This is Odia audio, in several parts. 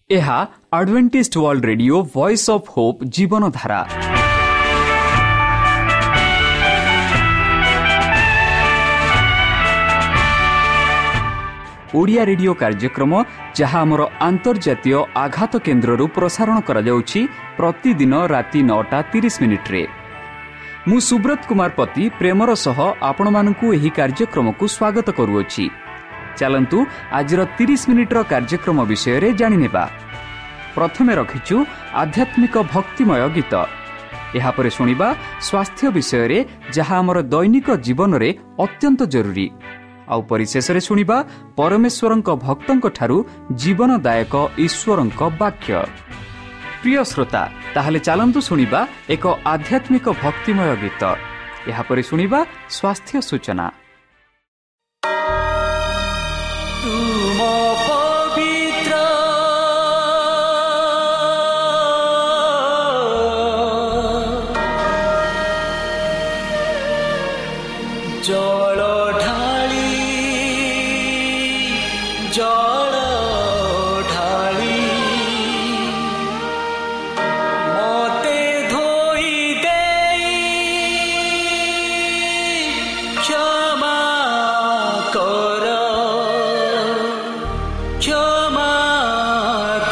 ଏହା Adventist World Radio, Voice of Hope, Jeevandhara. Odia radio କାର୍ଯ୍ୟକ୍ରମ, ଯାହା ଆମର ଆନ୍ତର୍ଜାତୀୟ ଆଘାତ କେନ୍ଦ୍ରରୁ ପ୍ରସାରଣ କରାଯାଉଛି ପ୍ରତିଦିନ ରାତି 9ଟା 30 ମିନିଟ୍ରେ। ମୁଁ ସୁବ୍ରତ କୁମାର ପତି ପ୍ରେମର ସହ ଆପଣମାନଙ୍କୁ ଏହି କାର୍ଯ୍ୟକ୍ରମକୁ ସ୍ୱାଗତ କରୁଅଛି। ଚାଲନ୍ତୁ, ଆଜିର 30 ମିନିଟ୍ର କାର୍ଯ୍ୟକ୍ରମ ବିଷୟରେ ଜାଣିନେବା। ପ୍ରଥମେ ରଖିଛୁ ଆଧ୍ୟାତ୍ମିକ ଭକ୍ତିମୟ ଗୀତ। ଏହାପରେ ଶୁଣିବା ସ୍ୱାସ୍ଥ୍ୟ ବିଷୟରେ, ଯାହା ଆମର ଦୈନିକ ଜୀବନରେ ଅତ୍ୟନ୍ତ ଜରୁରୀ। ଆଉ ପରିଶେଷରେ ଶୁଣିବା ପରମେଶ୍ୱରଙ୍କ ଭକ୍ତଙ୍କଠାରୁ ଜୀବନଦାୟକ ଈଶ୍ୱରଙ୍କ ବାକ୍ୟ। ପ୍ରିୟ ଶ୍ରୋତା, ତାହେଲେ ଚାଲନ୍ତୁ ଶୁଣିବା ଏକ ଆଧ୍ୟାତ୍ମିକ ଭକ୍ତିମୟ ଗୀତ। ଏହାପରେ ଶୁଣିବା ସ୍ୱାସ୍ଥ୍ୟ ସୂଚନା। ତୁମ ପବିତ୍ର ଜଳ ଢାଳି, ଜଳ ଢାଳି ମତେ ଧୋଇ ଦେଇ କ୍ଷମା କର, କ୍ଷମା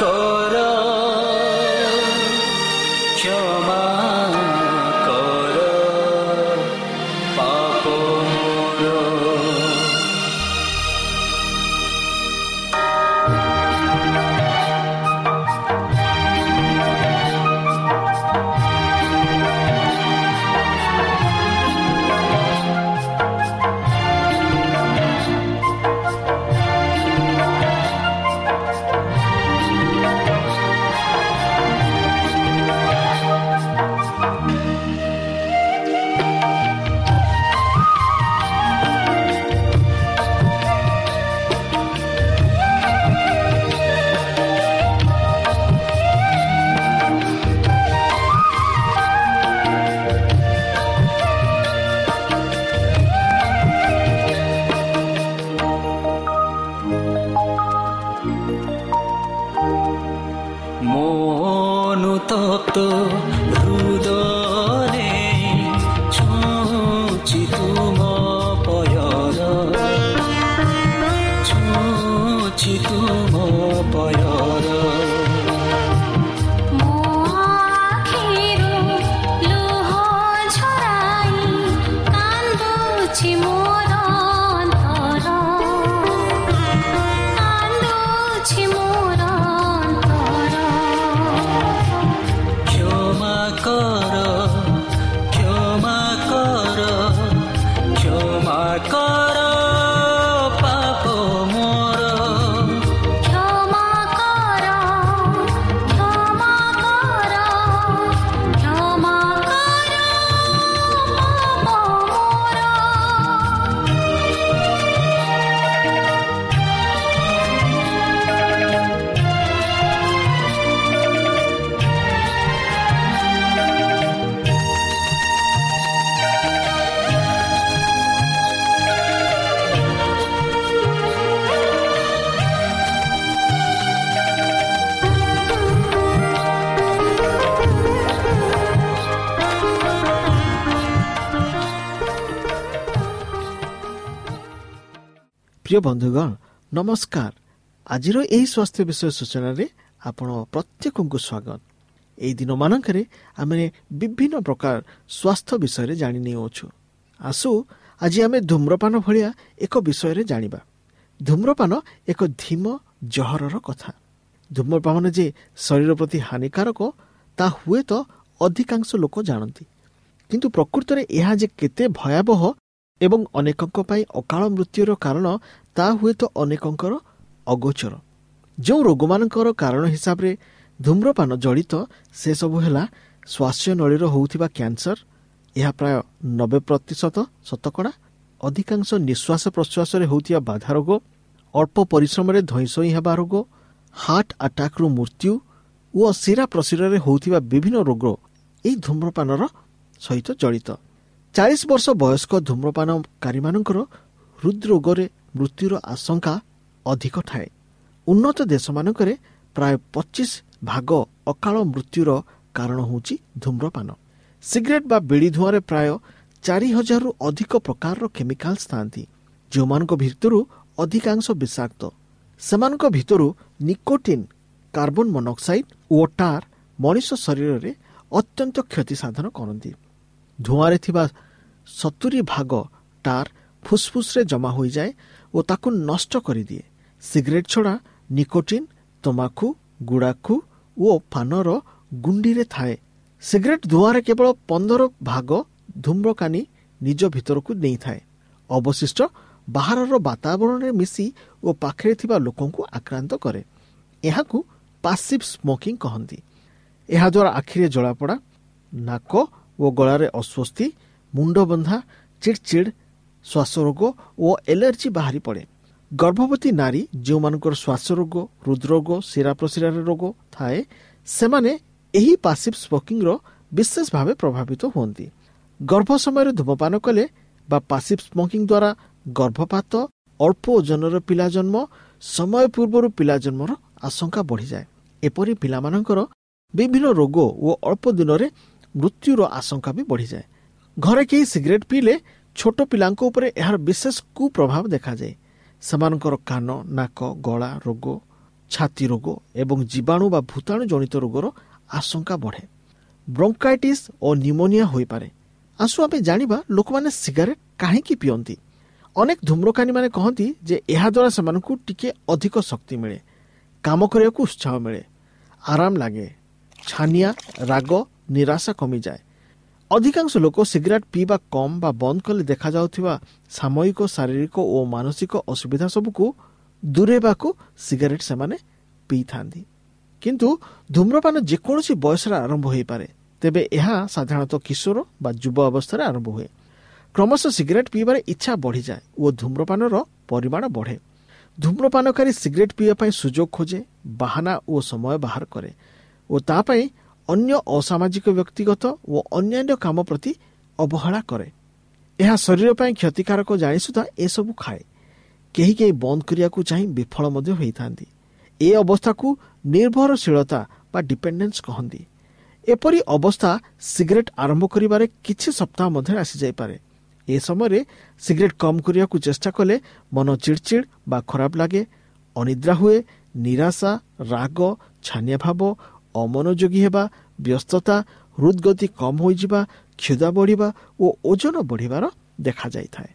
କର, କ୍ଷମା କର ପାପ ମୋର। ଅନୁତପ୍ତ ହୃଦୟରେ ଛୁଉଛି ତୁମ ପୟର, ଛୁଉଛି ତୁମ ପୟର। ମୋ ଆଖିରୁ ଲୁହ ଝରାଇ କାନ୍ଦୁଛି ମୋର ଅନ୍ତର, କାନ୍ଦୁଛି ମୋର ଅନ୍ତର। କ୍ଷମା କର, କ୍ଷମା କର, କ୍ଷମା କର ପାପ ମୋର। କ୍ଷମା କର, କ୍ଷମା କର, କ୍ଷମା କର ପାପ ମୋର। ପ୍ରିୟ ବନ୍ଧୁଗଣ, ନମସ୍କାର। ଆଜିର ଏହି ସ୍ୱାସ୍ଥ୍ୟ ବିଷୟ ସୂଚନାରେ ଆପଣ ପ୍ରତ୍ୟେକଙ୍କୁ ସ୍ୱାଗତ। ଏହି ଦିନମାନଙ୍କରେ ଆମେ ବିଭିନ୍ନ ପ୍ରକାର ସ୍ୱାସ୍ଥ୍ୟ ବିଷୟରେ ଜାଣି ନେଉଅଛୁ। ଆସୁ, ଆଜି ଆମେ ଧୂମ୍ରପାନ ଭଳିଆ ଏକ ବିଷୟରେ ଜାଣିବା। ଧୂମ୍ରପାନ ଏକ ଧୀମ ଜହରର କଥା। ଧୂମ୍ରପାନ ଯେ ଶରୀର ପ୍ରତି ହାନିକାରକ, ତା ହୁଏତ ଅଧିକାଂଶ ଲୋକ ଜାଣନ୍ତି, କିନ୍ତୁ ପ୍ରକୃତରେ ଏହା ଯେ କେତେ ଭୟାବହ ଏବଂ ଅନେକଙ୍କ ପାଇଁ ଅକାଳ ମୃତ୍ୟୁର କାରଣ, ତା ହୁଏତ ଅନେକଙ୍କର ଅଗୋଚର। ଯେଉଁ ରୋଗମାନଙ୍କର କାରଣ ହିସାବରେ ଧୂମ୍ରପାନ ଜଡ଼ିତ, ସେସବୁ ହେଲା ଶ୍ୱାସନଳୀର ହେଉଥିବା କ୍ୟାନ୍ସର, ଏହା ପ୍ରାୟ 90% ଶତକଡ଼ା, ଅଧିକାଂଶ ନିଶ୍ୱାସ ପ୍ରଶ୍ୱାସରେ ହେଉଥିବା ବାଧା ରୋଗ, ଅଳ୍ପ ପରିଶ୍ରମରେ ଧଇଁସଇଁ ହେବା ରୋଗ, ହାର୍ଟ ଆଟାକରୁ ମୃତ୍ୟୁ ଓ ଶିରା ପ୍ରଶିରାରେ ହେଉଥିବା ବିଭିନ୍ନ ରୋଗ ଏହି ଧୂମ୍ରପାନର ସହିତ ଜଡ଼ିତ। 40 ବର୍ଷ ବୟସ୍କ ଧୂମ୍ରପାନକାରୀମାନଙ୍କର ହୃଦରୋଗରେ ମୃତ୍ୟୁର ଆଶଙ୍କା ଅଧିକ ଥାଏ। ଉନ୍ନତ ଦେଶମାନଙ୍କରେ ପ୍ରାୟ 25 ଭାଗ ଅକାଳ ମୃତ୍ୟୁର କାରଣ ହେଉଛି ଧୂମ୍ରପାନ। ସିଗାରେଟ୍ ବା ବିଡ଼ି ଧୂଆଁରେ ପ୍ରାୟ 4000ରୁ ଅଧିକ ପ୍ରକାରର କେମିକାଲ୍ସ ଥାନ୍ତି, ଯେଉଁମାନଙ୍କ ଭିତରୁ ଅଧିକାଂଶ ବିଷାକ୍ତ। ସେମାନଙ୍କ ଭିତରୁ ନିକୋଟିନ୍, କାର୍ବନ ମନୋକ୍ସାଇଡ୍ ଓ ଟାର୍ ମଣିଷ ଶରୀରରେ ଅତ୍ୟନ୍ତ କ୍ଷତି ସାଧନ କରନ୍ତି। ଧୂଆଁରେ ଥିବା 70 ଭାଗ ଟାର୍ ଫୁସ୍ଫୁସ୍ରେ ଜମା ହୋଇଯାଏ ଓ ତାକୁ ନଷ୍ଟ କରିଦିଏ। ସିଗାରେଟ୍ ଛଡ଼ା ନିକୋଟିନ୍ ତମାଖୁ, ଗୁଡ଼ାଖୁ ଓ ପାନର ଗୁଣ୍ଡିରେ ଥାଏ। ସିଗାରେଟ୍ ଧୂଆଁରେ କେବଳ 15 ଭାଗ ଧୂମ୍ରକାନି ନିଜ ଭିତରକୁ ନେଇଥାଏ। ଅବଶିଷ୍ଟ ବାହାରର ବାତାବରଣରେ ମିଶି ଓ ପାଖରେ ଥିବା ଲୋକଙ୍କୁ ଆକ୍ରାନ୍ତ କରେ। ଏହାକୁ ପାସିଭ୍ ସ୍ମୋକିଂ କହନ୍ତି। ଏହାଦ୍ୱାରା ଆଖିରେ ଜଳାପୋଡ଼ା, ନାକ ଓ ଗଳାରେ ଅସ୍ୱସ୍ତି, ମୁଣ୍ଡବନ୍ଧା, ଚିଡ଼ଚିଡ଼, ଶ୍ୱାସରୋଗ ଓ ଏଲର୍ଜି ବାହାରି ପଡ଼େ। ଗର୍ଭବତୀ ନାରୀ ଯେଉଁମାନଙ୍କର ଶ୍ୱାସରୋଗ, ହୃଦରୋଗ, ଶିରାପ୍ରଶିରାର ରୋଗ ଥାଏ, ସେମାନେ ଏହି ପାସିଭ୍ ସ୍ମୋକିଂର ବିଶେଷ ଭାବେ ପ୍ରଭାବିତ ହୁଅନ୍ତି। ଗର୍ଭ ସମୟରେ ଧୂମପାନ କଲେ ବା ପାସିଭ୍ ସ୍ମୋକିଂ ଦ୍ୱାରା ଗର୍ଭପାତ, ଅଳ୍ପ ଓଜନର ପିଲା ଜନ୍ମ, ସମୟ ପୂର୍ବରୁ ପିଲା ଜନ୍ମର ଆଶଙ୍କା ବଢ଼ିଯାଏ। ଏପରି ପିଲାମାନଙ୍କର ବିଭିନ୍ନ ରୋଗ ଓ ଅଳ୍ପ ଦିନରେ ମୃତ୍ୟୁର ଆଶଙ୍କା ବି ବଢ଼ିଯାଏ। ଘରେ କେହି ସିଗାରେଟ୍ ପିଇଲେ ଛୋଟ ପିଲାଙ୍କ ଉପରେ ଏହାର ବିଶେଷ କୁପ୍ରଭାବ ଦେଖାଯାଏ। ସେମାନଙ୍କର କାନ, ନାକ, ଗଳା ରୋଗ, ଛାତି ରୋଗ ଏବଂ ଜୀବାଣୁ ବା ଭୂତାଣୁ ଜନିତ ରୋଗର ଆଶଙ୍କା ବଢ଼େ। ବ୍ରୋଙ୍କାଇଟିସ୍ ଓ ନିମୋନିଆ ହୋଇପାରେ। ଆସୁ ଆମେ ଜାଣିବା ଲୋକମାନେ ସିଗାରେଟ୍ କାହିଁକି ପିଅନ୍ତି। ଅନେକ ଧୂମ୍ରକାନୀମାନେ କହନ୍ତି ଯେ ଏହାଦ୍ୱାରା ସେମାନଙ୍କୁ ଟିକେ ଅଧିକ ଶକ୍ତି ମିଳେ, କାମ କରିବାକୁ ଉତ୍ସାହ ମିଳେ, ଆରାମ ଲାଗେ, ଛାନିଆ, ରାଗ, ନିରାଶା କମିଯାଏ। ଅଧିକାଂଶ ଲୋକ ସିଗାରେଟ୍ ପିଇବା କମ୍ ବା ବନ୍ଦ କଲେ ଦେଖାଯାଉଥିବା ସାମୟିକ ଶାରୀରିକ ଓ ମାନସିକ ଅସୁବିଧା ସବୁକୁ ଦୂରେଇବାକୁ ସିଗାରେଟ୍ ସେମାନେ ପିଇଥାନ୍ତି। କିନ୍ତୁ ଧୂମ୍ରପାନ ଯେକୌଣସି ବୟସରେ ଆରମ୍ଭ ହୋଇପାରେ। ତେବେ ଏହା ସାଧାରଣତଃ କିଶୋର ବା ଯୁବ ଅବସ୍ଥାରେ ଆରମ୍ଭ ହୁଏ। କ୍ରମଶଃ ସିଗାରେଟ୍ ପିଇବାରେ ଇଚ୍ଛା ବଢ଼ିଯାଏ ଓ ଧୂମ୍ରପାନର ପରିମାଣ ବଢ଼େ। ଧୂମ୍ରପାନକାରୀ ସିଗାରେଟ୍ ପିଇବା ପାଇଁ ସୁଯୋଗ ଖୋଜେ, ବାହାନା ଓ ସମୟ ବାହାର କରେ ଓ ତା ପାଇଁ ଅନ୍ୟ ଅସାମାଜିକ, ବ୍ୟକ୍ତିଗତ ଓ ଅନ୍ୟାନ୍ୟ କାମ ପ୍ରତି ଅବହେଳା କରେ। ଏହା ଶରୀର ପାଇଁ କ୍ଷତିକାରକ ଜାଣି ସୁଦ୍ଧା ଏସବୁ ଖାଏ। କେହି କେହି ବନ୍ଦ କରିବାକୁ ଚାହିଁ ବିଫଳ ମଧ୍ୟ ହୋଇଥାନ୍ତି। ଏ ଅବସ୍ଥାକୁ ନିର୍ଭରଶୀଳତା ବା ଡିପେଣ୍ଡେନ୍ସ କହନ୍ତି। ଏପରି ଅବସ୍ଥା ସିଗାରେଟ୍ ଆରମ୍ଭ କରିବାରେ କିଛି ସପ୍ତାହ ମଧ୍ୟରେ ଆସିଯାଇପାରେ। ଏ ସମୟରେ ସିଗାରେଟ୍ କମ୍ କରିବାକୁ ଚେଷ୍ଟା କଲେ ମନ ଚିଡ଼ଚିଡ଼ ବା ଖରାପ ଲାଗେ, ଅନିଦ୍ରା ହୁଏ, ନିରାଶା, ରାଗ, ଛାନିଆ ଭାବ, ଅମନୋଯୋଗୀ ହେବା, ବ୍ୟସ୍ତତା, ହୃଦଗତି କମ୍ ହୋଇଯିବା, କ୍ଷୁଧା ବଢ଼ିବା ଓ ଓଜନ ବଢ଼ିବାର ଦେଖାଯାଇଥାଏ।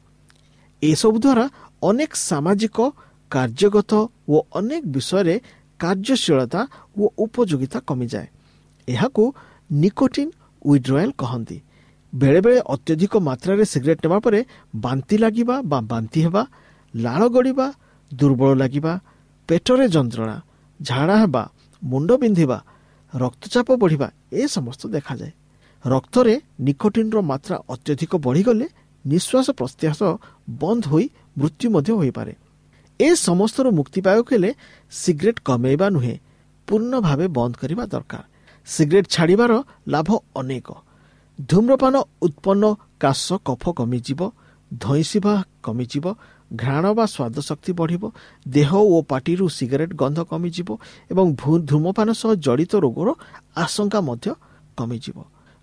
ଏସବୁ ଦ୍ୱାରା ଅନେକ ସାମାଜିକ, କାର୍ଯ୍ୟଗତ ଓ ଅନେକ ବିଷୟରେ କାର୍ଯ୍ୟଶୀଳତା ଓ ଉପଯୋଗିତା କମିଯାଏ। ଏହାକୁ ନିକୋଟିନ୍ ୱିଡ୍ରୟାଲ୍ କହନ୍ତି। ବେଳେବେଳେ ଅତ୍ୟଧିକ ମାତ୍ରାରେ ସିଗାରେଟ୍ ନେବା ପରେ ବାନ୍ତି ଲାଗିବା ବା ବାନ୍ତି ହେବା, ଲାଳ ଗଡ଼ିବା, ଦୁର୍ବଳ ଲାଗିବା, ପେଟରେ ଯନ୍ତ୍ରଣା, ଝାଡ଼ା ହେବା, ମୁଣ୍ଡ ବିନ୍ଧିବା, ରକ୍ତଚାପ ବଢ଼ିବା ଏ ସମସ୍ତ ଦେଖାଯାଏ। ରକ୍ତରେ ନିକୋଟିନ୍ର ମାତ୍ରା ଅତ୍ୟଧିକ ବଢ଼ିଗଲେ ନିଶ୍ୱାସ ପ୍ରଶ୍ୱାସ ବନ୍ଦ ହୋଇ ମୃତ୍ୟୁ ମଧ୍ୟ ହୋଇପାରେ। ଏ ସମସ୍ତରୁ ମୁକ୍ତି ପାଇବାକୁ ହେଲେ ସିଗାରେଟ୍ କମେଇବା ନୁହେଁ, ପୂର୍ଣ୍ଣ ଭାବେ ବନ୍ଦ କରିବା ଦରକାର। ସିଗାରେଟ୍ ଛାଡ଼ିବାର ଲାଭ ଅନେକ। ଧୂମ୍ରପାନ ଉତ୍ପନ୍ନ କାଶ, କଫ କମିଯିବ, ଧଇଁସିବା କମିଯିବ, ଘ୍ରାଣ ବା ସ୍ୱାଦ ଶକ୍ତି ବଢ଼ିବ, ଦେହ ଓ ପାଟିରୁ ସିଗାରେଟ୍ ଗନ୍ଧ କମିଯିବ ଏବଂ ଧୂମପାନ ସହ ଜଡ଼ିତ ରୋଗର ଆଶଙ୍କା ମଧ୍ୟ କମିଯିବ।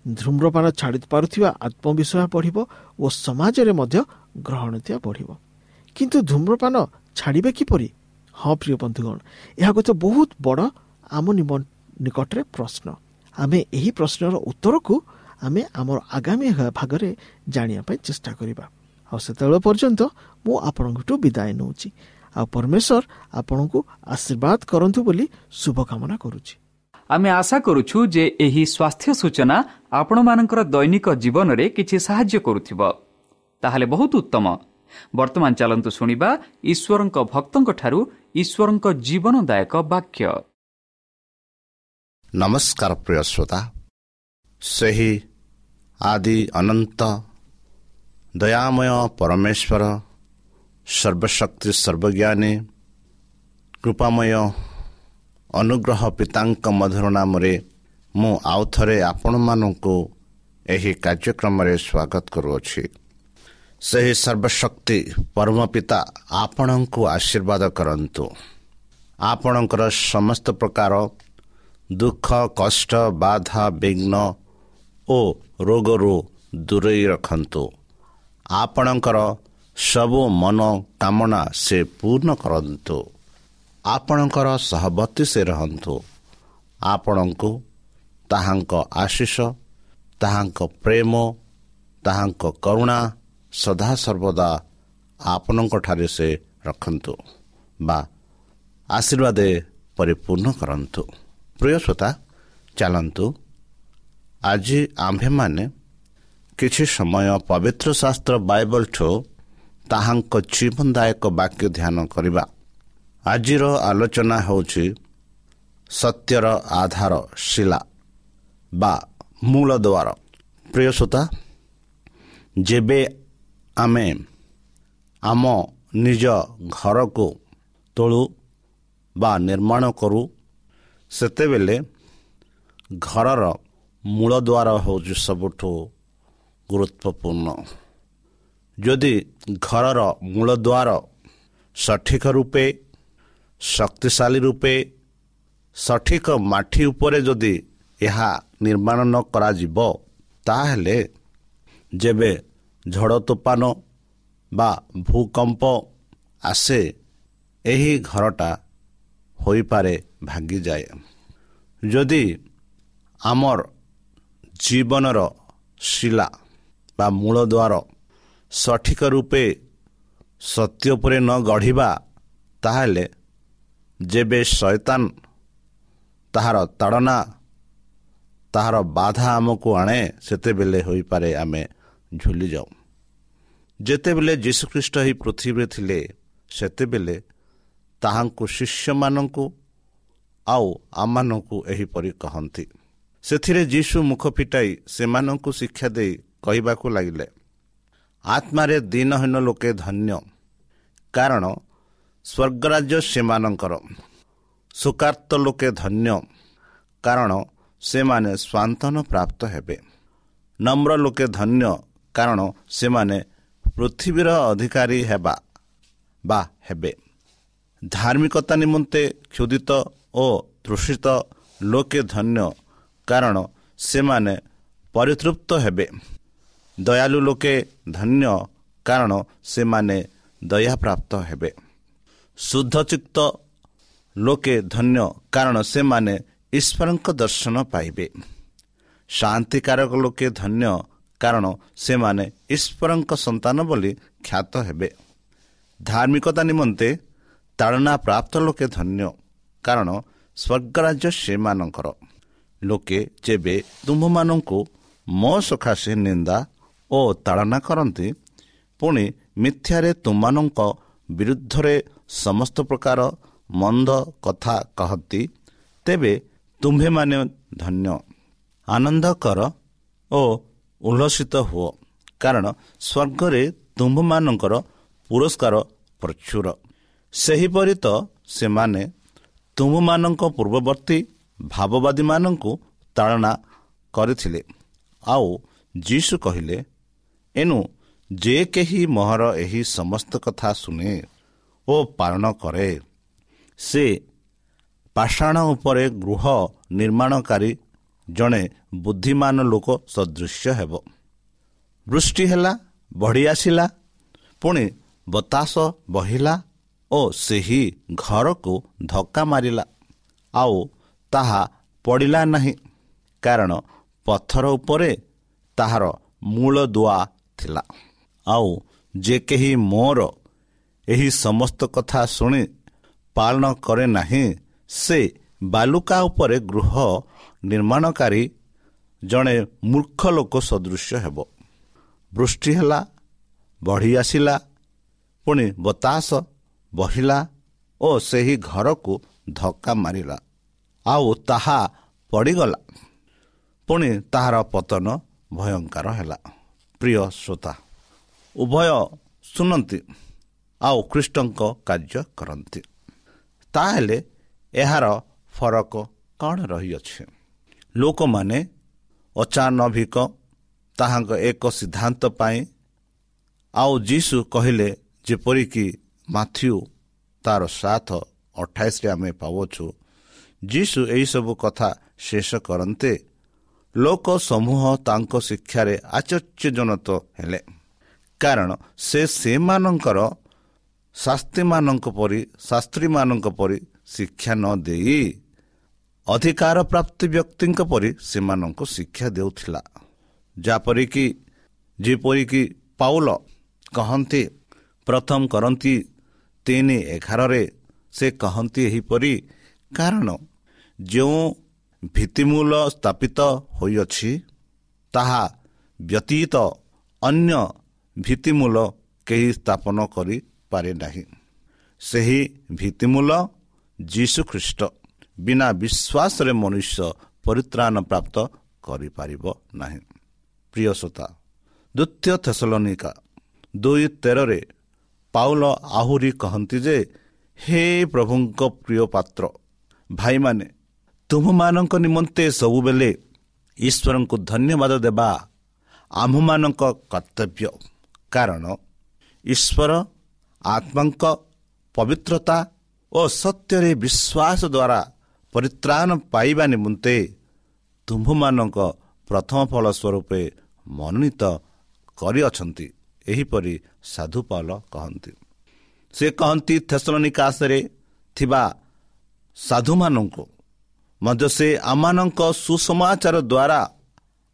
ଧୂମ୍ରପାନ ଛାଡ଼ି ପାରୁଥିବା ଆତ୍ମବିଶ୍ୱାସ ବଢ଼ିବ ଓ ସମାଜରେ ମଧ୍ୟ ଗ୍ରହଣୀୟତା ବଢ଼ିବ। କିନ୍ତୁ ଧୂମ୍ରପାନ ଛାଡ଼ିବେ କିପରି? ହଁ ପ୍ରିୟ ବନ୍ଧୁଗଣ, ଏହା ଗୋଟେ ବହୁତ ବଡ଼ ଆମ ନିକଟରେ ପ୍ରଶ୍ନ। ଆମେ ଏହି ପ୍ରଶ୍ନର ଉତ୍ତରକୁ ଆମେ ଆମର ଆଗାମୀ ଭାଗରେ ଜାଣିବା ପାଇଁ ଚେଷ୍ଟା କରିବା। ଆଉ ସେତେବେଳେ ପର୍ଯ୍ୟନ୍ତ ମୁଁ ଆପଣଙ୍କଠୁ ବିଦାୟ ନେଉଛି। ଆଉ ପରମେଶ୍ୱର ଆପଣଙ୍କୁ ଆଶୀର୍ବାଦ କରନ୍ତୁ ବୋଲି ଶୁଭକାମନା କରୁଛି। ଆମେ ଆଶା କରୁଛୁ ଯେ ଏହି ସ୍ୱାସ୍ଥ୍ୟ ସୂଚନା ଆପଣମାନଙ୍କର ଦୈନିକ ଜୀବନରେ କିଛି ସାହାଯ୍ୟ କରୁଥିବ। ତାହେଲେ ବହୁତ ଉତ୍ତମ। ବର୍ତ୍ତମାନ ଚାଲନ୍ତୁ ଶୁଣିବା ଈଶ୍ୱରଙ୍କ ଭକ୍ତଙ୍କଠାରୁ ଈଶ୍ୱରଙ୍କ ଜୀବନଦାୟକ ବାକ୍ୟ। ନମସ୍କାର ପ୍ରିୟ ଶ୍ରୋତା, ସେହି ଆଦି ଅନନ୍ତ ଦୟାମୟ ପରମେଶ୍ୱର, ସର୍ବଶକ୍ତି ସର୍ବଜ୍ଞାନୀ କୃପାମୟ ଅନୁଗ୍ରହ ପିତାଙ୍କ ମଧୁର ନାମରେ ମୁଁ ଆଉ ଥରେ ଆପଣମାନଙ୍କୁ ଏହି କାର୍ଯ୍ୟକ୍ରମରେ ସ୍ୱାଗତ କରୁଅଛି। ସେହି ସର୍ବଶକ୍ତି ପରମ ପିତା ଆପଣଙ୍କୁ ଆଶୀର୍ବାଦ କରନ୍ତୁ। ଆପଣଙ୍କର ସମସ୍ତ ପ୍ରକାର ଦୁଃଖ, କଷ୍ଟ, ବାଧା, ବିଘ୍ନ ଓ ରୋଗରୁ ଦୂରେଇ ରଖନ୍ତୁ। ଆପଣଙ୍କର ସବୁ ମନୋକାମନା ସେ ପୂର୍ଣ୍ଣ କରନ୍ତୁ। ଆପଣଙ୍କର ସହବର୍ତ୍ତୀ ସେ ରହନ୍ତୁ। ଆପଣଙ୍କୁ ତାହାଙ୍କ ଆଶିଷ, ତାହାଙ୍କ ପ୍ରେମ, ତାହାଙ୍କ କରୁଣା ସଦାସର୍ବଦା ଆପଣଙ୍କଠାରେ ସେ ରଖନ୍ତୁ ବା ଆଶୀର୍ବାଦ ପରିପୂର୍ଣ୍ଣ କରନ୍ତୁ। ପ୍ରିୟ ଶ୍ରୋତା, ଚାଲନ୍ତୁ ଆଜି ଆମ୍ଭେମାନେ କିଛି ସମୟ ପବିତ୍ର ଶାସ୍ତ୍ର ବାଇବଲଠୁ ତାହାଙ୍କ ଜୀବନଦାୟକ ବାକ୍ୟ ଧ୍ୟାନ କରିବା। ଆଜିର ଆଲୋଚନା ହେଉଛି ସତ୍ୟର ଆଧାର ଶିଲା ବା ମୂଳ ଦ୍ୱାର। ପ୍ରିୟ ଶ୍ରୋତା, ଯେବେ ଆମେ ଆମ ନିଜ ଘରକୁ ତୋଳୁ ବା ନିର୍ମାଣ କରୁ, ସେତେବେଳେ ଘରର ମୂଳଦ୍ୱାର ହେଉଛି ସବୁଠୁ ଗୁରୁତ୍ୱପୂର୍ଣ୍ଣ। ଯଦି ଘରର ମୂଳଦ୍ୱାର ସଠିକ ରୂପେ, ଶକ୍ତିଶାଳୀ ରୂପେ, ସଠିକ ମାଟି ଉପରେ ଯଦି ଏହା ନିର୍ମାଣ ନ କରାଯିବ, ତାହେଲେ ଯେବେ ଝଡ଼ ତୋଫାନ ବା ଭୂକମ୍ପ ଆସେ, ଏହି ଘରଟା ହୋଇପାରେ ଭାଙ୍ଗିଯାଏ। ଯଦି ଆମର ଜୀବନର ଶିଲା ବା ମୂଳଦ୍ୱାର ସଠିକ ରୂପେ ସତ୍ୟ ଉପରେ ନ ଗଢ଼ିବା, ତାହେଲେ ଯେବେ ଶୈତାନ ତାହାର ତାଡ଼ନା, ତାହାର ବାଧା ଆମକୁ ଆଣେ, ସେତେବେଳେ ହୋଇପାରେ ଆମେ ଝୁଲିଯାଉ। ଯେତେବେଳେ ଯୀଶୁଖ୍ରୀଷ୍ଟ ଏହି ପୃଥିବୀରେ ଥିଲେ, ସେତେବେଳେ ତାହାଙ୍କୁ ଶିଷ୍ୟମାନଙ୍କୁ ଆଉ ଆମମାନଙ୍କୁ ଏହିପରି କହନ୍ତି। ସେଥିରେ ଯୀଶୁ ମୁଖ ଫିଟାଇ ସେମାନଙ୍କୁ ଶିକ୍ଷା ଦେଇ କହିବାକୁ ଲାଗିଲେ, ଆତ୍ମାରେ ଦୀନହୀନ ଲୋକେ ଧନ୍ୟ, କାରଣ ସ୍ୱର୍ଗରାଜ୍ୟ ସେମାନଙ୍କର। ଶୋକାର୍ତ୍ତ ଲୋକେ ଧନ୍ୟ, କାରଣ ସେମାନେ ସ୍ୱାନ୍ତନ ପ୍ରାପ୍ତ ହେବେ। ନମ୍ର ଲୋକେ ଧନ୍ୟ, କାରଣ ସେମାନେ ପୃଥିବୀର ଅଧିକାରୀ ହେବା ବା ହେବେ। ଧାର୍ମିକତା ନିମନ୍ତେ କ୍ଷୁଧିତ ଓ ତୃଷିତ ଲୋକେ ଧନ୍ୟ, କାରଣ ସେମାନେ ପରିତୃପ୍ତ ହେବେ। ଦୟାଲୁ ଲୋକେ ଧନ୍ୟ, କାରଣ ସେମାନେ ଦୟାପ୍ରାପ୍ତ ହେବେ। ଶୁଦ୍ଧଚିତ୍ତ ଲୋକେ ଧନ୍ୟ, କାରଣ ସେମାନେ ଈଶ୍ୱରଙ୍କ ଦର୍ଶନ ପାଇବେ। ଶାନ୍ତିକାରକ ଲୋକେ ଧନ୍ୟ, କାରଣ ସେମାନେ ଈଶ୍ୱରଙ୍କ ସନ୍ତାନ ବୋଲି ଖ୍ୟାତ ହେବେ। ଧାର୍ମିକତା ନିମନ୍ତେ ତାଡ଼ନା ପ୍ରାପ୍ତ ଲୋକେ ଧନ୍ୟ, କାରଣ ସ୍ୱର୍ଗରାଜ୍ୟ ସେମାନଙ୍କର। ଲୋକେ ଯେବେ ତୁମ୍ଭମାନଙ୍କୁ ମୋ ସକାଶେ ନିନ୍ଦା ଓ ତାଡ଼ନା କରନ୍ତି, ପୁଣି ମିଥ୍ୟାରେ ତୁମମାନଙ୍କ ବିରୁଦ୍ଧରେ ସମସ୍ତ ପ୍ରକାର ମନ୍ଦ କଥା କହନ୍ତି, ତେବେ ତୁମ୍ଭେମାନେ ଧନ୍ୟ। ଆନନ୍ଦ କର ଓ ଉଲ୍ଲସିତ ହୁଅ, କାରଣ ସ୍ୱର୍ଗରେ ତୁମ୍ଭମାନଙ୍କର ପୁରସ୍କାର ପ୍ରଚୁର। ସେହିପରି ତ ସେମାନେ ତୁମ୍ଭମାନଙ୍କ ପୂର୍ବବର୍ତ୍ତୀ ଭାବବାଦୀମାନଙ୍କୁ ତାଡ଼ନା କରିଥିଲେ। ଆଉ ଯୀଶୁ କହିଲେ, ଏଣୁ ଯେ କେହି ମୋହର ଏହି ସମସ୍ତ କଥା ଶୁଣେ ଓ ପାଳନ କରେ, ସେ ପାଷାଣ ଉପରେ ଗୃହ ନିର୍ମାଣକାରୀ ଜଣେ ବୁଦ୍ଧିମାନ ଲୋକ ସଦୃଶ୍ୟ ହେବ। ବୃଷ୍ଟି ହେଲା, ବଢ଼ି ଆସିଲା, ପୁଣି ବତାସ ବହିଲା ଓ ସେହି ଘରକୁ ଧକ୍କା ମାରିଲା, ଆଉ ତାହା ପଡ଼ିଲା ନାହିଁ, କାରଣ ପଥର ଉପରେ ତାହାର ମୂଳ ଦୁଆ ଥିଲା। ଆଉ ଯେ କେହି ମୋର ଏହି ସମସ୍ତ କଥା ଶୁଣି ପାଳନ କରେ ନାହିଁ, ସେ ବାଲୁକା ଉପରେ ଗୃହ ନିର୍ମାଣକାରୀ ଜଣେ ମୂର୍ଖ ଲୋକ ସଦୃଶ୍ୟ ହେବ। ବୃଷ୍ଟି ହେଲା, ବଢ଼ି ଆସିଲା, ପୁଣି ବତାସ ବହିଲା ଓ ସେହି ଘରକୁ ଧକ୍କା ମାରିଲା, ଆଉ ତାହା ପଡ଼ିଗଲା, ପୁଣି ତାହାର ପତନ ଭୟଙ୍କର ହେଲା। ପ୍ରିୟ ଶ୍ରୋତା, ଉଭୟ ଶୁଣନ୍ତି ଆଉ ଖ୍ରୀଷ୍ଟଙ୍କ କାର୍ଯ୍ୟ କରନ୍ତି, ତାହେଲେ ଏହାର ଫରକ କ'ଣ ରହିଅଛି? ଲୋକମାନେ ଅଚାନଭିକ ତାହାଙ୍କ ଏକ ସିଦ୍ଧାନ୍ତ ପାଇଁ ଆଉ ଯୀଶୁ କହିଲେ, ଯେପରିକି ମାଥ୍ୟୁ ତାର 7 28ରେ ଆମେ ପାଉଅଛୁ, ଯୀଶୁ ଏହିସବୁ କଥା ଶେଷ କରନ୍ତେ ଲୋକ ସମୂହ ତାଙ୍କ ଶିକ୍ଷାରେ ଆଶ୍ଚର୍ଯ୍ୟଜନକ ହେଲେ, କାରଣ ସେ ସେମାନଙ୍କର ଶାସ୍ତ୍ରୀମାନଙ୍କ ପରି ଶିକ୍ଷା ନ ଦେଇ ଅଧିକାର ପ୍ରାପ୍ତି ବ୍ୟକ୍ତିଙ୍କ ପରି ସେମାନଙ୍କୁ ଶିକ୍ଷା ଦେଉଥିଲା। ଯେପରିକି ପାଉଲ କହନ୍ତି ପ୍ରଥମ କରନ୍ତି 3:11 ସେ କହନ୍ତି ଏହିପରି, କାରଣ ଯେଉଁ ଭିତ୍ତିମୂଳ ସ୍ଥାପିତ ହୋଇଅଛି ତାହା ବ୍ୟତୀତ ଅନ୍ୟ ଭିତ୍ତିମୂଳ କେହି ସ୍ଥାପନ କରିପାରେ ନାହିଁ। ସେହି ଭିତ୍ତିମୂଳ ଯୀଶୁ ଖ୍ରୀଷ୍ଟ। ବିନା ବିଶ୍ୱାସରେ ମନୁଷ୍ୟ ପରିତ୍ରାଣ ପ୍ରାପ୍ତ କରିପାରିବ ନାହିଁ। ପ୍ରିୟ ଶ୍ରୋତା, ଦ୍ୱିତୀୟ ଥେସଲନିକା 2:13 ପାଉଲ ଆହୁରି କହନ୍ତି ଯେ, ହେ ପ୍ରଭୁଙ୍କ ପ୍ରିୟ ପାତ୍ର ଭାଇମାନେ, ତୁମମାନଙ୍କ ନିମନ୍ତେ ସବୁବେଳେ ଈଶ୍ୱରଙ୍କୁ ଧନ୍ୟବାଦ ଦେବା ଆମ୍ଭମାନଙ୍କ କର୍ତ୍ତବ୍ୟ, କାରଣ ଈଶ୍ୱର ଆତ୍ମାଙ୍କ ପବିତ୍ରତା ଓ ସତ୍ୟରେ ବିଶ୍ୱାସ ଦ୍ୱାରା ପରିତ୍ରାଣ ପାଇବା ନିମନ୍ତେ ତୁମ୍ଭମାନଙ୍କ ପ୍ରଥମ ଫଳ ସ୍ୱରୂପେ ମନୋନୀତ କରିଅଛନ୍ତି। ଏହିପରି ସାଧୁ ପାଉଲ କହନ୍ତି। ସେ କହନ୍ତି ଥେସଲନିକାସରେ ଥିବା ସାଧୁମାନଙ୍କୁ ମଧ୍ୟ ସେ ଆମମାନଙ୍କ ସୁସମାଚାର ଦ୍ୱାରା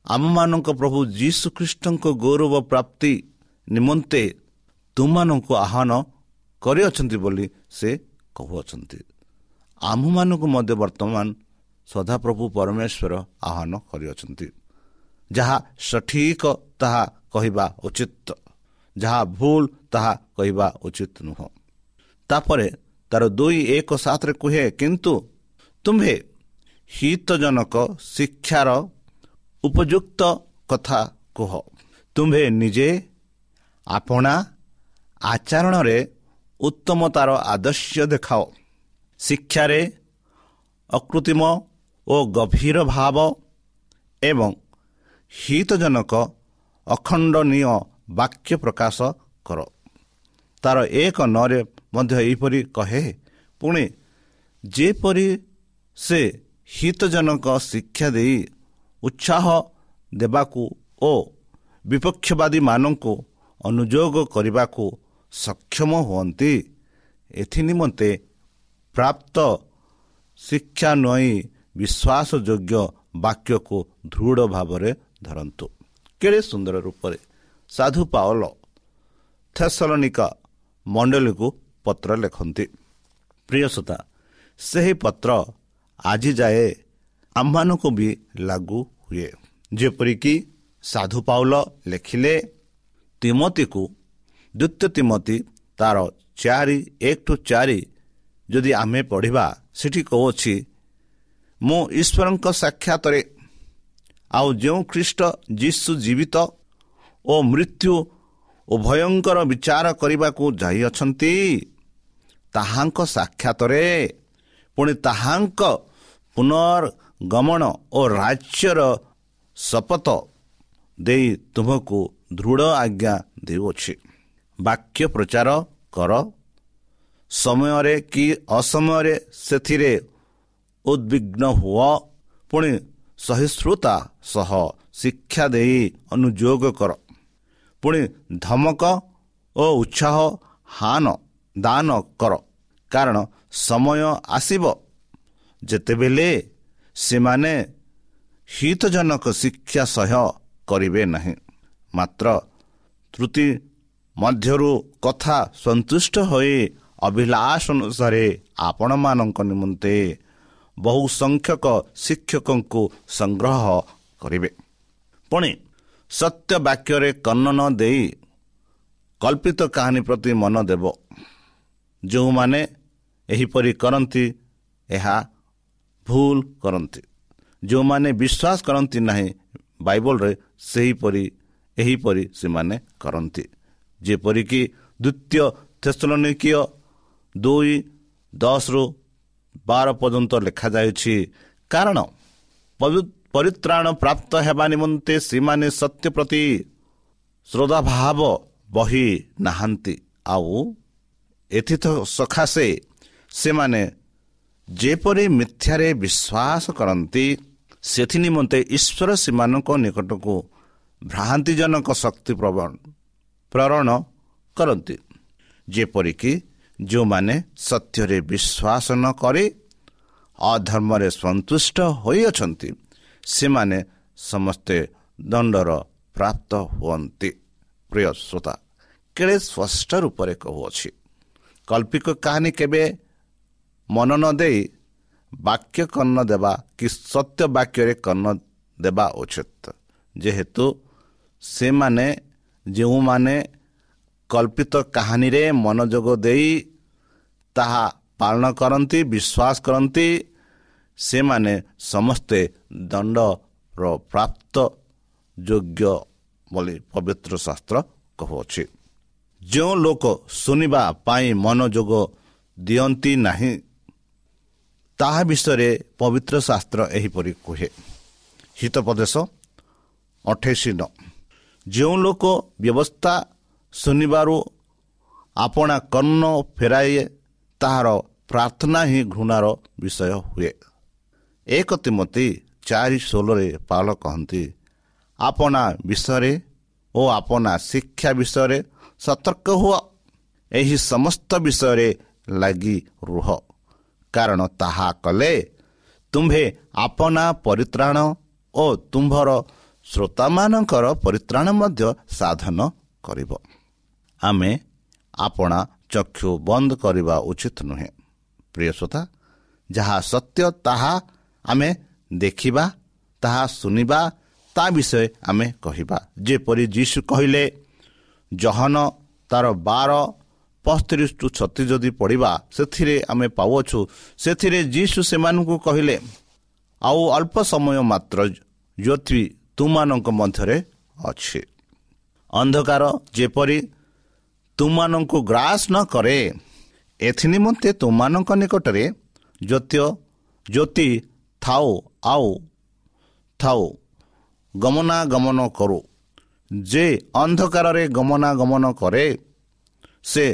ଆମମାନଙ୍କ ପ୍ରଭୁ ଯୀଶୁଖ୍ରୀଷ୍ଟଙ୍କ ଗୌରବ ପ୍ରାପ୍ତି ନିମନ୍ତେ ତୁମମାନଙ୍କୁ ଆହ୍ୱାନ କରିଅଛନ୍ତି ବୋଲି ସେ କହୁଅଛନ୍ତି। ଆମ୍ଭମାନଙ୍କୁ ମଧ୍ୟ ବର୍ତ୍ତମାନ ସଦାପ୍ରଭୁ ପରମେଶ୍ୱର ଆହ୍ୱାନ କରିଅଛନ୍ତି। ଯାହା ସଠିକ ତାହା କହିବା ଉଚିତ, ଯାହା ଭୁଲ ତାହା କହିବା ଉଚିତ ନୁହଁ। ତାପରେ ତାର 2:1-7 କୁହେ, କିନ୍ତୁ ତୁମ୍ଭେ ହିତଜନକ ଶିକ୍ଷାର ଉପଯୁକ୍ତ କଥା କୁହ, ତୁମ୍ଭେ ନିଜେ ଆପଣା ଆଚରଣରେ ଉତ୍ତମତାର ଆଦର୍ଶ ଦେଖାଅ, ଶିକ୍ଷାରେ ଅକୃତ୍ରିମ ଓ ଗଭୀର ଭାବ ଏବଂ ହିତଜନକ ଅଖଣ୍ଡନୀୟ ବାକ୍ୟ ପ୍ରକାଶ କର। ତାର 1:9 ମଧ୍ୟ ଏହିପରି କହେ, ପୁଣି ଯେପରି ସେ ହିତଜନକ ଶିକ୍ଷା ଦେଇ ଉତ୍ସାହ ଦେବାକୁ ଓ ବିପକ୍ଷବାଦୀମାନଙ୍କୁ ଅନୁଯୋଗ କରିବାକୁ ସକ୍ଷମ ହୁଅନ୍ତି, ଏଥିନିମନ୍ତେ ପ୍ରାପ୍ତ ଶିକ୍ଷା ନଇ ବିଶ୍ୱାସଯୋଗ୍ୟ ବାକ୍ୟକୁ ଦୃଢ଼ ଭାବରେ ଧରନ୍ତୁ। କେଡ଼େ ସୁନ୍ଦର ରୂପରେ ସାଧୁ ପାଉଲ ଥେସଲନିକା ମଣ୍ଡଳୀକୁ ପତ୍ର ଲେଖନ୍ତି। ପ୍ରିୟ ଶ୍ରୋତା, ସେହି ପତ୍ର ଆଜି ଯାଏ ଆମମାନଙ୍କୁ ବି ଲାଗୁ ହୁଏ। ଯେପରିକି ସାଧୁ ପାଉଲ ଲେଖିଲେ ତିମୋଥିକୁ, ଦ୍ୱିତୀୟ ତିମୋଥି ତାର 4:1-4 ଯଦି ଆମେ ପଢ଼ିବା, ସେଠି କହୁଅଛି, ମୁଁ ଈଶ୍ୱରଙ୍କ ସାକ୍ଷାତରେ ଆଉ ଯେଉଁ ଖ୍ରୀଷ୍ଟ ଯୀଶୁ ଜୀବିତ ଓ ମୃତ୍ୟୁ ଉଭୟଙ୍କର ବିଚାର କରିବାକୁ ଯାଇଅଛନ୍ତି, ତାହାଙ୍କ ସାକ୍ଷାତରେ ପୁଣି ତାହାଙ୍କ ପୁନର୍ଗମନ ଓ ରାଜ୍ୟର ଶପଥ ଦେଇ ତୁମକୁ ଦୃଢ଼ ଆଜ୍ଞା ଦେଉଅଛି। ବାକ୍ୟ ପ୍ରଚାର କର, ସମୟରେ କି ଅସମୟରେ ସେଥିରେ ଉଦ୍ବିଗ୍ନ ହୁଅ, ପୁଣି ସହିଷ୍ଣୁତା ସହ ଶିକ୍ଷା ଦେଇ ଅନୁଯୋଗ କର, ପୁଣି ଧମକ ଓ ଉତ୍ସାହ ଦାନ କର, କାରଣ ସମୟ ଆସିବ ଯେତେବେଳେ ସେମାନେ ହିତଜନକ ଶିକ୍ଷା ସହ୍ୟ କରିବେ ନାହିଁ, ମାତ୍ର ତ୍ରୁଟି ମଧ୍ୟରୁ କଥା ସନ୍ତୁଷ୍ଟ ହୋଇ ଅଭିଳାଷ ଅନୁସାରେ ଆପଣମାନଙ୍କ ନିମନ୍ତେ ବହୁ ସଂଖ୍ୟକ ଶିକ୍ଷକଙ୍କୁ ସଂଗ୍ରହ କରିବେ। ପୁଣି ସତ୍ୟ ବାକ୍ୟରେ କର୍ଣ୍ଣ ନ ଦେଇ କଳ୍ପିତ କାହାଣୀ ପ୍ରତି ମନ ଦେବ। ଯେଉଁମାନେ ଏହିପରି କରନ୍ତି ଏହା ଭୁଲ କରନ୍ତି। ଯେଉଁମାନେ ବିଶ୍ୱାସ କରନ୍ତି ନାହିଁ ବାଇବଲରେ, ସେହିପରି ଏହିପରି ସେମାନେ କରନ୍ତି। ଯେପରିକି ଦ୍ୱିତୀୟ ଥେସଲନିକୀୟ 2:10-12 ପର୍ଯ୍ୟନ୍ତ ଲେଖାଯାଇଛି, କାରଣ ପରିତ୍ରାଣ ପ୍ରାପ୍ତ ହେବା ନିମନ୍ତେ ସେମାନେ ସତ୍ୟ ପ୍ରତି ଶ୍ରଦ୍ଧାଭାବ ବହି ନାହାନ୍ତି, ଆଉ ଏଥି ସକାଶେ ସେମାନେ ଯେପରି ମିଥ୍ୟାରେ ବିଶ୍ୱାସ କରନ୍ତି, ସେଥି ନିମନ୍ତେ ଈଶ୍ୱର ସେମାନଙ୍କ ନିକଟକୁ ଭ୍ରାନ୍ତିଜନକ ଶକ୍ତି ପ୍ରେରଣ କରନ୍ତି, ଯେପରିକି ଯେଉଁମାନେ ସତ୍ୟରେ ବିଶ୍ୱାସ ନ କରି ଅଧର୍ମରେ ସନ୍ତୁଷ୍ଟ ହୋଇଅଛନ୍ତି, ସେମାନେ ସମସ୍ତେ ଦଣ୍ଡର ପ୍ରାପ୍ତ ହୁଅନ୍ତି। ପ୍ରିୟ ଶ୍ରୋତା, କେଡ଼େ ସ୍ପଷ୍ଟ ରୂପରେ କହୁଅଛି, କଳ୍ପିକ କାହାଣୀ କେବେ ମନ ନ ଦେଇ ବାକ୍ୟ କର୍ଣ୍ଣ ଦେବା କି ସତ୍ୟ ବାକ୍ୟରେ କର୍ଣ୍ଣ ଦେବା ଉଚିତ। ଯେହେତୁ ସେମାନେ ଯେଉଁମାନେ କଳ୍ପିତ କାହାଣୀରେ ମନୋଯୋଗ ଦେଇ ତାହା ପାଳନ କରନ୍ତି, ବିଶ୍ୱାସ କରନ୍ତି, ସେମାନେ ସମସ୍ତେ ଦଣ୍ଡର ପ୍ରାପ୍ତ ଯୋଗ୍ୟ ବୋଲି ପବିତ୍ର ଶାସ୍ତ୍ର କହୁଅଛି। ଯେଉଁ ଲୋକ ଶୁଣିବା ପାଇଁ ମନୋଯୋଗ ଦିଅନ୍ତି ନାହିଁ, ତାହା ବିଷୟରେ ପବିତ୍ର ଶାସ୍ତ୍ର ଏହିପରି କୁହେ, ହିତୋପଦେଶ 28:9, ଯେଉଁ ଲୋକ ବ୍ୟବସ୍ଥା ଶୁଣିବାରୁ ଆପଣା କର୍ଣ୍ଣ ଫେରାଏ, ତାହାର ପ୍ରାର୍ଥନା ହିଁ ଘୃଣାର ବିଷୟ ହୁଏ। 1 ତୀମଥି 4:16 ପାଉଲ କହନ୍ତି, ଆପଣା ବିଷୟରେ ଓ ଆପଣା ଶିକ୍ଷା ବିଷୟରେ ସତର୍କ ହୁଅ, ଏହି ସମସ୍ତ ବିଷୟରେ ଲାଗି ରୁହ, କାରଣ ତାହା କଲେ ତୁମ୍ଭେ ଆପଣା ପରିତ୍ରାଣ ଓ ତୁମ୍ଭର ଶ୍ରୋତାମାନଙ୍କର ପରିତ୍ରାଣ ମଧ୍ୟ ସାଧନ କରିବ। ଆମେ ଆପଣା ଚକ୍ଷୁ ବନ୍ଦ କରିବା ଉଚିତ ନୁହେଁ। ପ୍ରିୟ ଶ୍ରୋତା, ଯାହା ସତ୍ୟ ତାହା ଆମେ ଦେଖିବା, ତାହା ଶୁଣିବା, ତା ବିଷୟ ଆମେ କହିବା। ଯେପରି ଯୀଶୁ କହିଲେ, ଯୋହନ ତାର 12:35-36 ଯଦି ପଢ଼ିବା, ସେଥିରେ ଆମେ ପାଉଅଛୁ, ସେଥିରେ ଯୀଶୁ ସେମାନଙ୍କୁ କହିଲେ, ଆଉ ଅଳ୍ପ ସମୟ ମାତ୍ର ଜ୍ୟୋତି ତୁମମାନଙ୍କ ମଧ୍ୟରେ ଅଛି, ଅନ୍ଧକାର ଯେପରି ତୁମମାନଙ୍କୁ ଗ୍ରାସ ନ କରେ, ଏଥିନିମନ୍ତେ ତୁମମାନଙ୍କ ନିକଟରେ ଜ୍ୟୋତି ଥାଉ ଆଉ ଥାଉ ଗମନାଗମନ କରୁ। ଯେ ଅନ୍ଧକାରରେ ଗମନାଗମନ କରେ, ସେ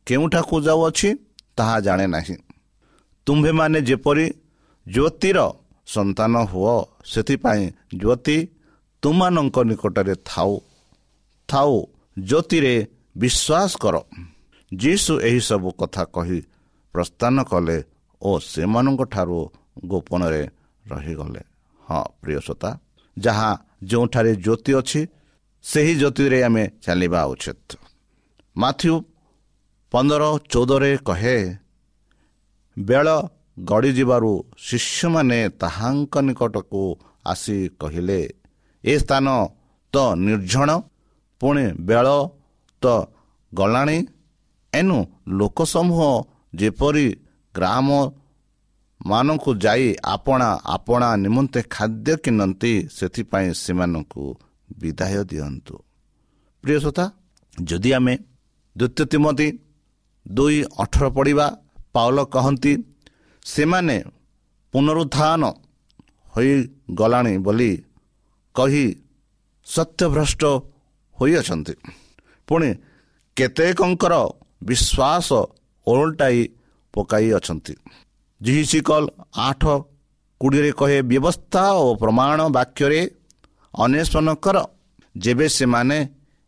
କେଉଁଠାକୁ ଯାଉଅଛି ତାହା ଜାଣେ ନାହିଁ। ତୁମ୍ଭେମାନେ ଯେପରି ଜ୍ୟୋତିର ସନ୍ତାନ ହୁଅ, ସେଥିପାଇଁ ଜ୍ୟୋତି ତୁମମାନଙ୍କ ନିକଟରେ ଥାଉ ଥାଉ ଜ୍ୟୋତିରେ ବିଶ୍ୱାସ କର। ଯୀଶୁ ଏହିସବୁ କଥା କହି ପ୍ରସ୍ଥାନ କଲେ ଓ ସେମାନଙ୍କ ଠାରୁ ଗୋପନରେ ରହିଗଲେ। ହଁ ପ୍ରିୟ ଶ୍ରୋତା, ଯାହା ଯେଉଁଠାରେ ଜ୍ୟୋତି ଅଛି, ସେହି ଜ୍ୟୋତିରେ ଆମେ ଚାଲିବା ଉଚିତ। ମାଥ୍ୟୁ 15:14 କହେ, ବେଳ ଗଡ଼ିଯିବାରୁ ଶିଷ୍ୟମାନେ ତାହାଙ୍କ ନିକଟକୁ ଆସି କହିଲେ, ଏ ସ୍ଥାନ ତ ନିର୍ଜନ, ପୁଣି ବେଳ ତ ଗଲାଣି, ଏଣୁ ଲୋକସମୂହ ଯେପରି ଗ୍ରାମ ମାନଙ୍କୁ ଯାଇ ଆପଣା ଆପଣା ନିମନ୍ତେ ଖାଦ୍ୟ କିଣନ୍ତି, ସେଥିପାଇଁ ସେମାନଙ୍କୁ ବିଦାୟ ଦିଅନ୍ତୁ। ପ୍ରିୟ ଶ୍ରୋତା, ଯଦି ଆମେ ଦ୍ୱିତୀୟ ତୀମଥି 2:18 ପଢ଼ିବା, ପାଉଲ କହନ୍ତି, ସେମାନେ ପୁନରୁତ୍ଥାନ ହୋଇଗଲାଣି ବୋଲି କହି ସତ୍ୟଭ୍ରଷ୍ଟ ହୋଇଅଛନ୍ତି, ପୁଣି କେତେକଙ୍କର ବିଶ୍ୱାସ ଓଲଟାଇ ପକାଇ ଅଛନ୍ତି। ଯିହିଜିକଲ 8:20 କହେ, ବ୍ୟବସ୍ଥା ଓ ପ୍ରମାଣ ବାକ୍ୟରେ ଅନ୍ୱେଷଣ କର, ଯେବେ ସେମାନେ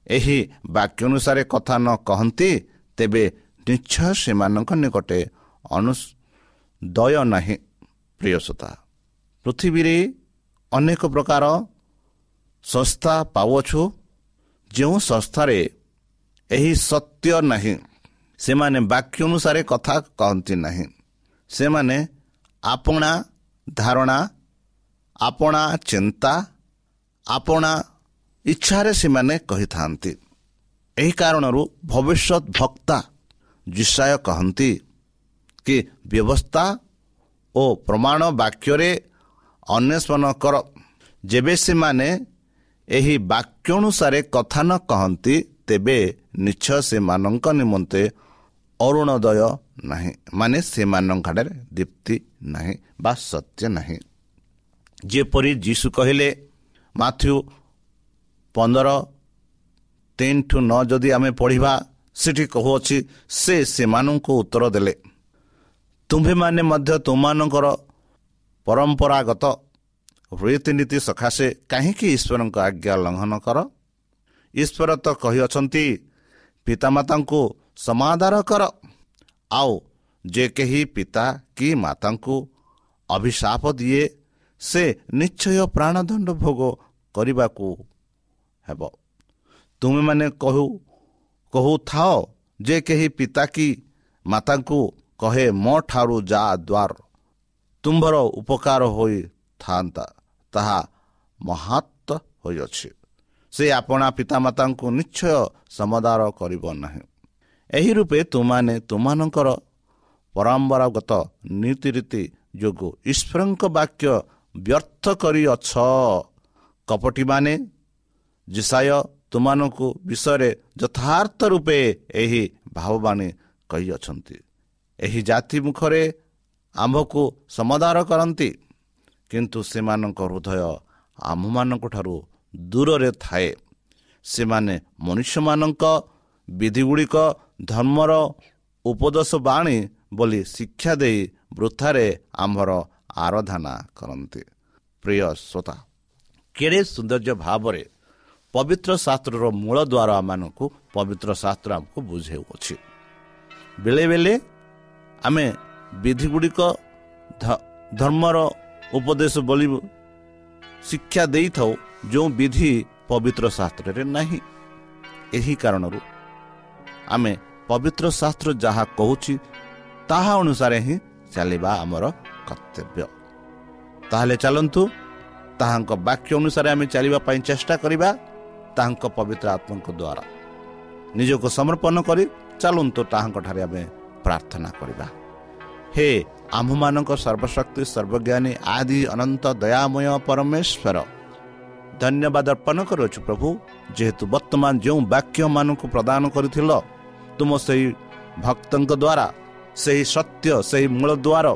ଏହି ବାକ୍ୟ ଅନୁସାରେ କଥା ନ କହନ୍ତି, ତେବେ ନିଶ୍ଚୟ ସେମାନଙ୍କ ନିକଟେ ଅନୁଦୟ ନାହିଁ। ପ୍ରିୟ ଶ୍ରୋତା, ପୃଥିବୀରେ ଅନେକ ପ୍ରକାର ସଂସ୍ଥା ପାଉଅଛୁ, ଯେଉଁ ସଂସ୍ଥାରେ ଏହି ସତ୍ୟ ନାହିଁ। ସେମାନେ ବାକ୍ୟ ଅନୁସାରେ କଥା କହନ୍ତି ନାହିଁ। ସେମାନେ ଆପଣା ଧାରଣା, ଆପଣା ଚିନ୍ତା, ଆପଣା ଇଚ୍ଛାରେ ସେମାନେ କହିଥାନ୍ତି। ଏହି କାରଣରୁ ଭବିଷ୍ୟତ ବକ୍ତା ଯିଶାଇୟ କହନ୍ତି କି, ବ୍ୟବସ୍ଥା ଓ ପ୍ରମାଣ ବାକ୍ୟରେ ଅନ୍ୱେଷଣ କର, ଯେବେ ସେମାନେ ଏହି ବାକ୍ୟ ଅନୁସାରେ କଥା ନ କହନ୍ତି, ତେବେ ନିଶ୍ଚୟ ସେମାନଙ୍କ ନିମନ୍ତେ ଅରୁଣୋଦୟ ନାହିଁ, ମାନେ ସେମାନଙ୍କଠାରେ ଦୀପ୍ତି ନାହିଁ ବା ସତ୍ୟ ନାହିଁ। ଯେପରି ଯୀଶୁ କହିଲେ, ମାଥ୍ୟୁ 15:3-9 ଯଦି ଆମେ ପଢ଼ିବା, ସେଠି କହୁଅଛି, ସେ ସେମାନଙ୍କୁ ଉତ୍ତର ଦେଲେ, ତୁମ୍ଭେମାନେ ମଧ୍ୟ ତୁମମାନଙ୍କର ପରମ୍ପରାଗତ ରୀତିନୀତି ସକାଶେ କାହିଁକି ଈଶ୍ୱରଙ୍କ ଆଜ୍ଞା ଲଙ୍ଘନ କର? ଈଶ୍ୱର ତ କହିଅଛନ୍ତି, ପିତାମାତାଙ୍କୁ ସମାଦର କର, ଆଉ ଯେ କେହି ପିତା କି ମାତାଙ୍କୁ ଅଭିଶାପ ଦିଏ ସେ ନିଶ୍ଚୟ ପ୍ରାଣଦଣ୍ଡ ଭୋଗ କରିବାକୁ ହେବ। ତୁମେମାନେ କହୁଥାଅ, ଯେ କେହି ପିତା କି ମାତାଙ୍କୁ କହେ ମୋ ଠାରୁ ଯା ଦ୍ୱାର ତୁମ୍ଭର ଉପକାର ହୋଇଥାନ୍ତା, ତାହା ମହତ୍ଵ ହୋଇଅଛି, ସେ ଆପଣା ପିତାମାତାଙ୍କୁ ନିଶ୍ଚୟ ସମାଦର କରିବ ନାହିଁ। ଏହି ରୂପେ ତୁମାନେ ତୁମମାନଙ୍କର ପରମ୍ପରାଗତ ନୀତିରୀତି ଯୋଗୁଁ ଈଶ୍ୱରଙ୍କ ବାକ୍ୟ ବ୍ୟର୍ଥ କରିଅଛ। କପଟୀମାନେ, ଯିଶାଇୟ ତୁମମାନଙ୍କୁ ବିଷୟରେ ଯଥାର୍ଥ ରୂପେ ଏହି ଭାବବାଣୀ କହିଅଛନ୍ତି, ଏହି ଜାତି ମୁଖରେ ଆମ୍ଭକୁ ସମାଦର କରନ୍ତି, କିନ୍ତୁ ସେମାନଙ୍କ ହୃଦୟ ଆମ୍ଭମାନଙ୍କ ଠାରୁ ଦୂରରେ ଥାଏ। ସେମାନେ ମନୁଷ୍ୟମାନଙ୍କ ବିଧିଗୁଡ଼ିକ ଧର୍ମର ଉପଦେଶ ବାଣୀ ବୋଲି ଶିକ୍ଷା ଦେଇ ବୃଥାରେ ଆମ୍ଭର ଆରାଧନା କରନ୍ତି। ପ୍ରିୟ ଶ୍ରୋତା, କେଡ଼େ ସୌନ୍ଦର୍ଯ୍ୟ ଭାବରେ ପବିତ୍ର ଶାସ୍ତ୍ରର ମୂଳ ଦ୍ୱାର ଆମମାନଙ୍କୁ ପବିତ୍ର ଶାସ୍ତ୍ର ଆମକୁ ବୁଝାଉଅଛି। ବେଳେ ବେଳେ ଆମେ ବିଧିଗୁଡ଼ିକ ଧର୍ମର ଉପଦେଶ ବୋଲି ଶିକ୍ଷା ଦେଇଥାଉ, ଯେଉଁ ବିଧି ପବିତ୍ର ଶାସ୍ତ୍ରରେ ନାହିଁ। ଏହି କାରଣରୁ ଆମେ ପବିତ୍ର ଶାସ୍ତ୍ର ଯାହା କହୁଛି ତାହା ଅନୁସାରେ ହିଁ ଚାଲିବା ଆମର କର୍ତ୍ତବ୍ୟ। ତାହେଲେ ଚାଲନ୍ତୁ ତାହାଙ୍କ ବାକ୍ୟ ଅନୁସାରେ ଆମେ ଚାଲିବା ପାଇଁ ଚେଷ୍ଟା କରିବା। ତାହାଙ୍କ ପବିତ୍ର ଆତ୍ମାଙ୍କ ଦ୍ୱାରା ନିଜକୁ ସମର୍ପଣ କରି ଚାଲନ୍ତୁ ତାହାଙ୍କଠାରେ ଆମେ ପ୍ରାର୍ଥନା କରିବା। ହେ ଆମ୍ଭମାନଙ୍କ ସର୍ବଶକ୍ତି ସର୍ବଜ୍ଞାନୀ ଆଦି ଅନନ୍ତ ଦୟାମୟ ପରମେଶ୍ୱର, ଧନ୍ୟବାଦ ଅର୍ପଣ କରୁଅଛୁ ପ୍ରଭୁ, ଯେହେତୁ ବର୍ତ୍ତମାନ ଯେଉଁ ବାକ୍ୟମାନଙ୍କୁ ପ୍ରଦାନ କରିଥିଲ ତୁମ ସେହି ଭକ୍ତଙ୍କ ଦ୍ୱାରା, ସେହି ସତ୍ୟ, ସେହି ମୂଳ ଦ୍ୱାର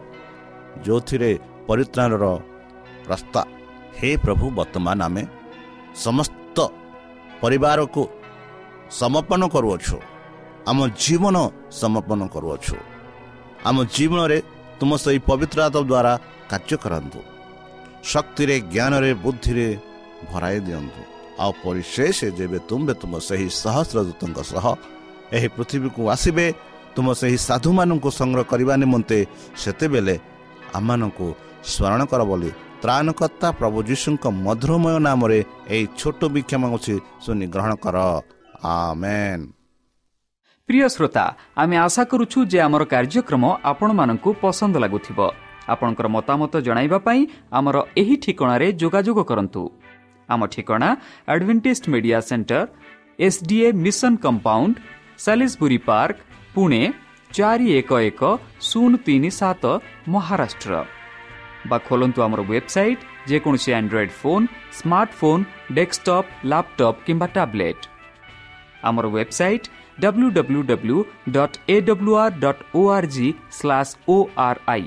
ଯେଉଁଥିରେ ପରିତ୍ରାଣର ରାସ୍ତା। ହେ ପ୍ରଭୁ, ବର୍ତ୍ତମାନ ଆମେ ସମସ୍ତ ପରିବାରକୁ ସମର୍ପଣ କରୁଅଛୁ, ଆମ ଜୀବନ ସମର୍ପଣ କରୁଅଛୁ। ଆମ ଜୀବନରେ ତୁମ ସେହି ପବିତ୍ର ଆତ୍ମା ଦ୍ୱାରା କାର୍ଯ୍ୟ କରନ୍ତୁ, ଶକ୍ତିରେ, ଜ୍ଞାନରେ, ବୁଦ୍ଧିରେ ଭରାଇ ଦିଅନ୍ତୁ। ଆଉ ପରିଶେଷ ଯେବେ ତୁମ୍ଭେ ତୁମ ସେହି ସହସ୍ର ଦୂତଙ୍କ ସହ ଏହି ପୃଥିବୀକୁ ଆସିବେ ତୁମ ସେହି ସାଧୁମାନଙ୍କୁ ସଂଗ୍ରହ କରିବା ନିମନ୍ତେ, ସେତେବେଳେ ଆମମାନଙ୍କୁ ସ୍ମରଣ କର ବୋଲି ତ୍ରାଣକର୍ତ୍ତା ପ୍ରଭୁ ଯୀଶୁଙ୍କ ମଧୁରମୟ ନାମରେ ଏହି ଛୋଟ ଭିକ୍ଷା ମାଗୁଛି, ଶୁଣି ଗ୍ରହଣ କର, ଆମେନ୍। ପ୍ରିୟ ଶ୍ରୋତା, ଆମେ ଆଶା କରୁଛୁ ଯେ ଆମର କାର୍ଯ୍ୟକ୍ରମ ଆପଣମାନଙ୍କୁ ପସନ୍ଦ ଲାଗୁଥିବ। ଆପଣଙ୍କର ମତାମତ ଜଣାଇବା ପାଇଁ ଆମର ଏହି ଠିକଣାରେ ଯୋଗାଯୋଗ କରନ୍ତୁ। ଆମ ଠିକଣା Adventist Media Centre, SDA Mission Compound, Salisbury Park, Pune 411037, Maharashtra. ବା ଖୋଲନ୍ତୁ ଆମର ୱେବସାଇଟ୍ ଯେକୌଣସି Android phone, smartphone, desktop, laptop କିମ୍ବା ଟ୍ୟାବ୍ଲେଟ୍। ଆମର ୱେବସାଇଟ୍ www.awr.org/ori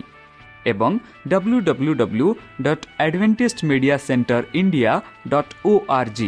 ଏବଂ www.adventistmediacenterindia.org।